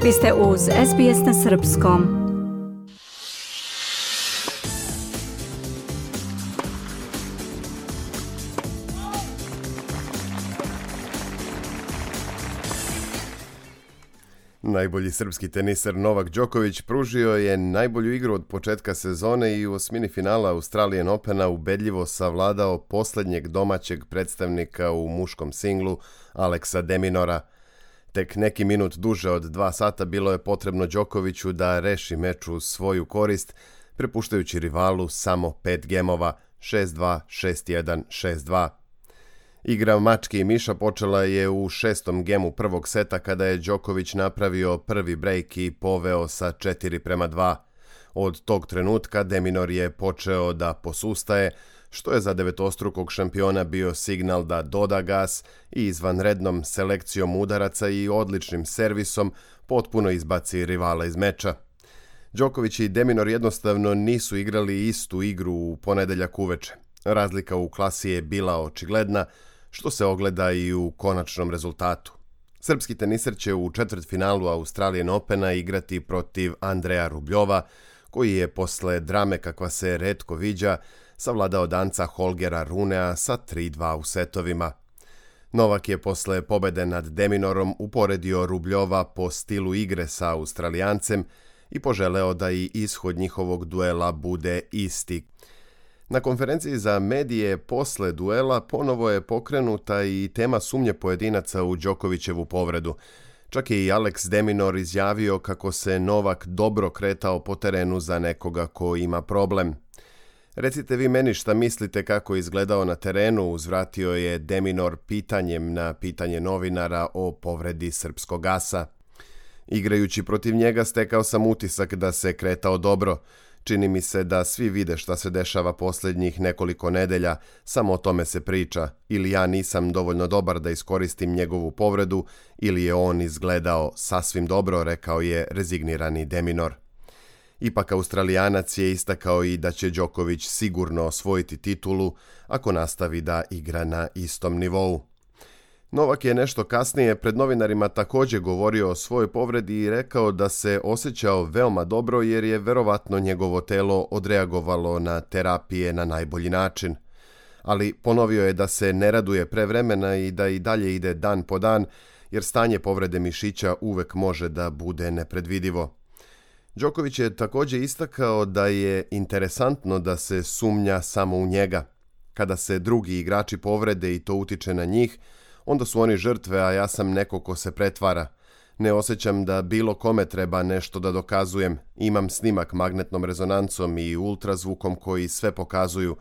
Vi ste uz SBS na Srpskom. Najbolji srpski teniser Novak Đoković pružio je najbolju igru od početka sezone i u osmini finala Australian Opena ubedljivo savladao posljednjeg domaćeg predstavnika u muškom singlu Alexa de Minaura. Tek neki minut duže od 2 sata bilo je potrebno Đokoviću da reši meč u svoju korist, prepuštajući rivalu samo 5 gemova 6-2, 6-1, 6-2. Igra mačke i miša počela je u 6. gemu prvog seta kada je Đoković napravio prvi brejk i poveo sa 4-2. Od tog trenutka de Minaur je počeo da posustaje, što je za devetostrukog šampiona bio signal da doda gas i izvanrednom selekcijom udaraca i odličnim servisom potpuno izbaci rivala iz meča. Đoković i de Minaur jednostavno nisu igrali istu igru u ponedeljak uveče. Razlika u klasi je bila očigledna, što se ogleda i u konačnom rezultatu. Srpski teniser će u četvrtfinalu Australian Opena igrati protiv Andreja Rubljova, koji je posle drame kakva se retko viđa savladao Danca Holgera Runea sa 3-2 u setovima. Novak je posle pobede nad de Minaurom uporedio Rubljova po stilu igre sa Australijancem i poželeo da i ishod njihovog duela bude isti. Na konferenciji za medije posle duela ponovo je pokrenuta i tema sumnje pojedinaca u Đokovićevu povredu. Čak je i Alex de Minaur izjavio kako se Novak dobro kretao po terenu za nekoga ko ima problem. Recite vi meni šta mislite kako je izgledao na terenu, uzvratio je de Minaur pitanjem na pitanje novinara o povredi srpskog asa. Igrajući protiv njega stekao sam utisak da se kretao dobro. Čini mi se da svi vide šta se dešava posljednjih nekoliko nedelja, samo o tome se priča, ili ja nisam dovoljno dobar da iskoristim njegovu povredu, ili je on izgledao sasvim dobro, rekao je rezignirani de Minaur. Ipak Australijanac je istakao i da će Đoković sigurno osvojiti titulu ako nastavi da igra na istom nivou. Novak je nešto kasnije pred novinarima također govorio o svojoj povredi i rekao da se osjećao veoma dobro jer je verovatno njegovo telo odreagovalo na terapije na najbolji način. Ali ponovio je da se ne raduje pre vremena i da i dalje ide dan po dan jer stanje povrede mišića uvek može da bude nepredvidivo. Đoković je također istakao da je interesantno da se sumnja samo u njega. Kada se drugi igrači povrede i to utiče na njih, onda su oni žrtve, a ja sam neko ko se pretvara. Ne osjećam da bilo kome treba nešto da dokazujem. Imam snimak magnetnom rezonancom i ultrazvukom koji sve pokazuju,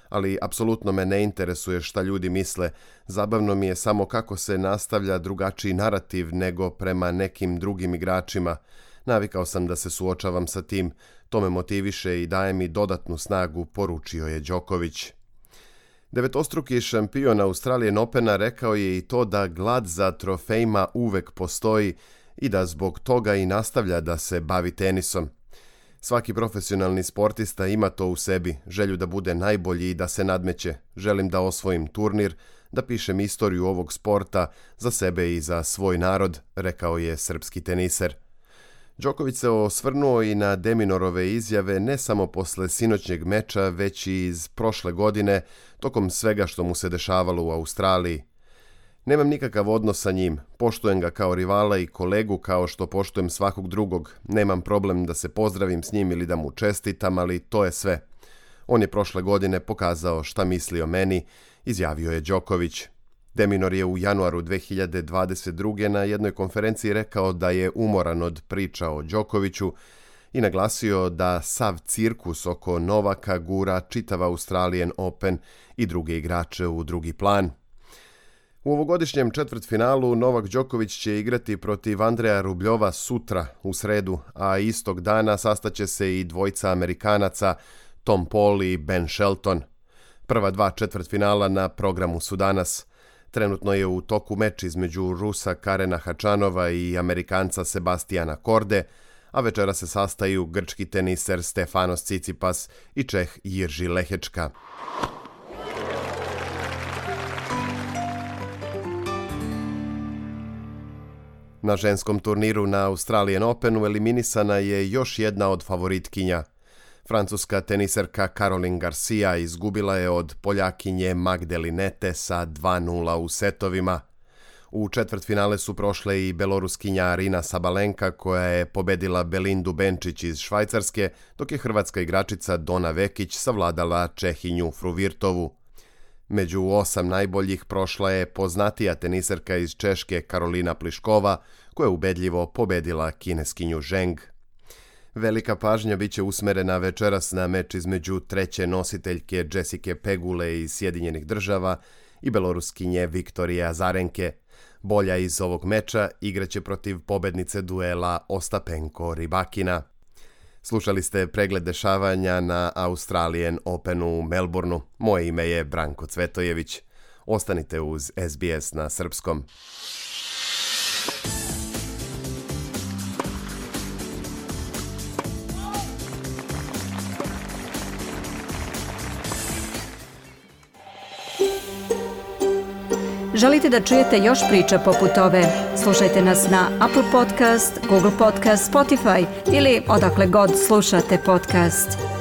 ali apsolutno me ne interesuje šta ljudi misle. Zabavno mi je samo kako se nastavlja drugačiji narativ nego prema nekim drugim igračima. Navikao sam da se suočavam sa tim. To me motiviše i daje mi dodatnu snagu, poručio je Đoković. Devetostruki šampion Australian Opena rekao je i to da glad za trofejima uvek postoji i da zbog toga i nastavlja da se bavi tenisom. Svaki profesionalni sportista ima to u sebi, želju da bude najbolji i da se nadmeće. Želim da osvojim turnir, da pišem istoriju ovog sporta za sebe i za svoj narod, rekao je srpski teniser. Đoković se osvrnuo i na de Minaurove izjave ne samo posle sinoćnjeg meča, već i iz prošle godine, tokom svega što mu se dešavalo u Australiji. Nemam nikakav odnos sa njim, poštujem ga kao rivala i kolegu kao što poštujem svakog drugog. Nemam problem da se pozdravim s njim ili da mu čestitam, ali to je sve. On je prošle godine pokazao šta misli o meni, izjavio je Đoković. De Minaur je u januaru 2022. na jednoj konferenciji rekao da je umoran od priča o Đokoviću i naglasio da sav cirkus oko Novaka gura čitav Australian Open i druge igrače u drugi plan. U ovogodišnjem četvrtfinalu Novak Đoković će igrati protiv Andreja Rubljova sutra u sredu, a istog dana sastaće se i dvojica Amerikanaca Tom Paul i Ben Shelton. Prva 2 četvrtfinala na programu su danas. Trenutno je u toku meč između Rusa Karena Hačanova i Amerikanca Sebastijana Korde, a večera se sastaju grčki teniser Stefanos Tsitsipas i Čeh Jirži Lehečka. Na ženskom turniru na Australian Openu eliminisana je još jedna od favoritkinja. Francuska teniserka Caroline Garcia izgubila je od Poljakinje Magdelinete sa 2:0 u setovima. U četvrtfinale su prošle i Beloruskinja Arina Sabalenka koja je pobedila Belindu Benčić iz Švajcarske, dok je hrvatska igračica Dona Vekić savladala Čehinju Fruvirtovu. Među 8 najboljih prošla je poznatija teniserka iz Češke Karolina Pliškova, koja je ubedljivo pobedila kineskinju Zheng. Velika pažnja bit će usmerena večeras na meč između treće nositeljke Jessike Pegule iz Sjedinjenih Država i Beloruskinje Viktorije Azarenke. Bolja iz ovog meča igraće protiv pobednice duela Ostapenko-Rybakina. Slušali ste pregled dešavanja na Australian Openu u Melbourneu. Moje ime je Branko Cvetojević. Ostanite uz SBS na srpskom. Želite da čujete još priča poput ove? Slušajte nas na Apple Podcast, Google Podcast, Spotify ili odakle god slušate podcast.